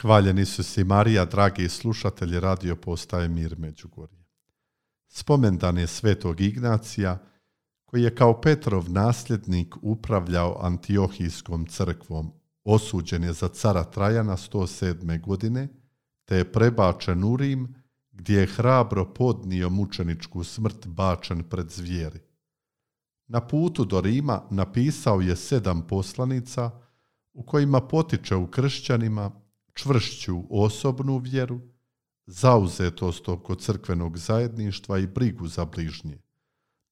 Hvaljeni Isus i Marija, dragi slušatelji radio postaje Mir Međugorje. Spomendan je svetog Ignacija, koji je kao Petrov nasljednik upravljao Antiohijskom crkvom. Osuđen je za cara Trajana 107. godine, te je prebačen u Rim, gdje je hrabro podnio mučeničku smrt bačen pred zvijeri. Na putu do Rima napisao je 7 poslanica u kojima potiče u kršćanima čvršću osobnu vjeru, zauzetost oko crkvenog zajedništva i brigu za bližnje.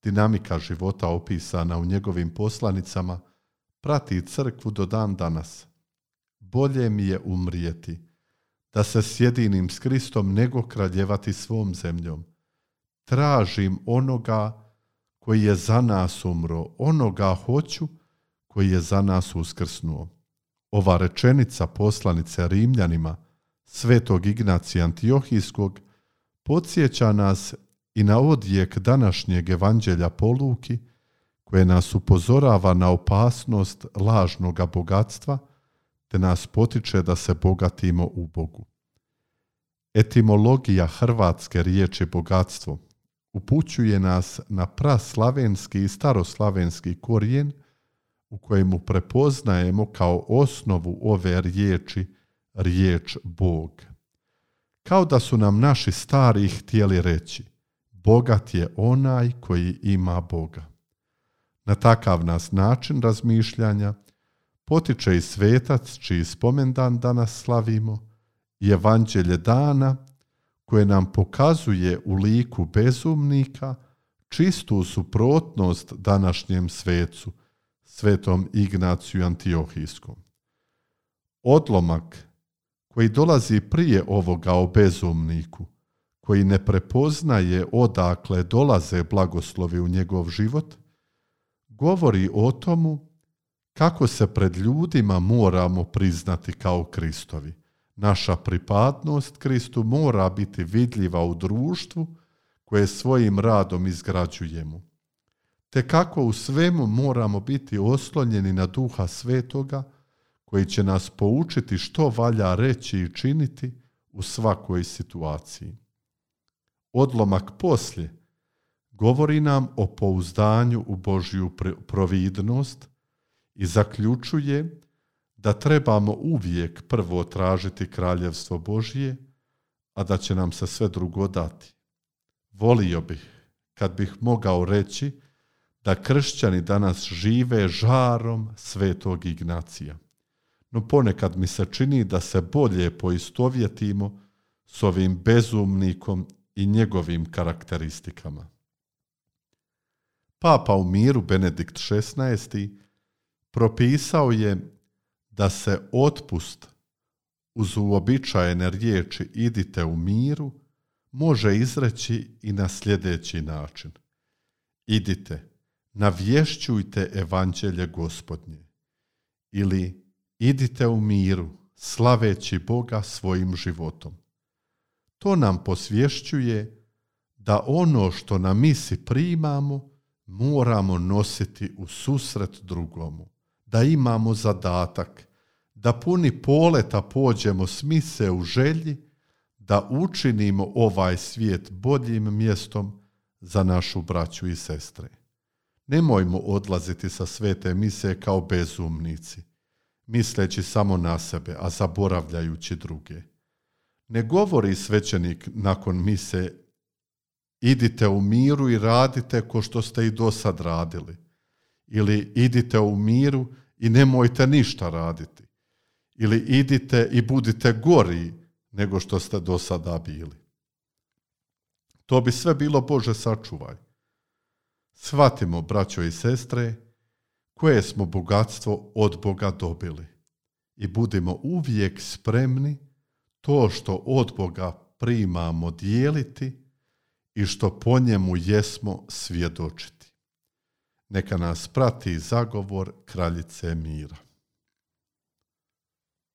Dinamika života opisana u njegovim poslanicama prati crkvu do dan danas. Bolje mi je umrijeti, da se sjedinim s Kristom, nego kraljevati svom zemljom. Tražim onoga koji je za nas umro, onoga hoću koji je za nas uskrsnuo. Ova rečenica poslanice Rimljanima svetog Ignacija Antiohijskog podsjeća nas i na odjek današnjeg evanđelja po Luki, koje nas upozorava na opasnost lažnoga bogatstva, te nas potiče da se bogatimo u Bogu. Etimologija hrvatske riječi bogatstvo upućuje nas na praslavenski i staroslavenski korijen, u kojemu prepoznajemo kao osnovu ove riječi riječ Bog. Kao da su nam naši stari htjeli reći: bogat je onaj koji ima Boga. Na takav nas način razmišljanja potiče i svetac čiji spomendan danas slavimo i evanđelje dana, koje nam pokazuje u liku bezumnika čistu suprotnost današnjem svecu, svetom Ignaciju Antiohijskom. Odlomak koji dolazi prije ovoga o bezumniku, koji ne prepoznaje odakle dolaze blagoslovi u njegov život, govori o tomu kako se pred ljudima moramo priznati kao Kristovi. Naša pripadnost Kristu mora biti vidljiva u društvu koje svojim radom izgrađujemo, te kako u svemu moramo biti oslonjeni na Duha Svetoga, koji će nas poučiti što valja reći i činiti u svakoj situaciji. Odlomak poslije govori nam o pouzdanju u Božju providnost i zaključuje da trebamo uvijek prvo tražiti kraljevstvo Božje, a da će nam se sve drugo dati. Volio bih kad bih mogao reći da kršćani danas žive žarom svetog Ignacija. No ponekad mi se čini da se bolje poistovjetimo s ovim bezumnikom i njegovim karakteristikama. Papa u miru Benedikt XVI propisao je da se otpust uz uobičajene riječi idite u miru može izreći i na sljedeći način: idite, navješćujte evanđelje Gospodnje, ili idite u miru, slaveći Boga svojim životom. To nam posvješćuje da ono što na misi primamo moramo nositi u susret drugomu, da imamo zadatak, da puni poleta pođemo s mise u želji da učinimo ovaj svijet boljim mjestom za našu braću i sestre. Nemojmo odlaziti sa svete mise kao bezumnici, misleći samo na sebe, a zaboravljajući druge. Ne govori svećenik nakon mise: idite u miru i radite ko što ste i do sad radili, ili idite u miru i nemojte ništa raditi, ili idite i budite gori nego što ste do sada bili. To bi sve bilo Bože sačuvaj. Shvatimo, braćo i sestre, koje smo bogatstvo od Boga dobili i budimo uvijek spremni to što od Boga primamo dijeliti i što po njemu jesmo svjedočiti. Neka nas prati zagovor kraljice mira.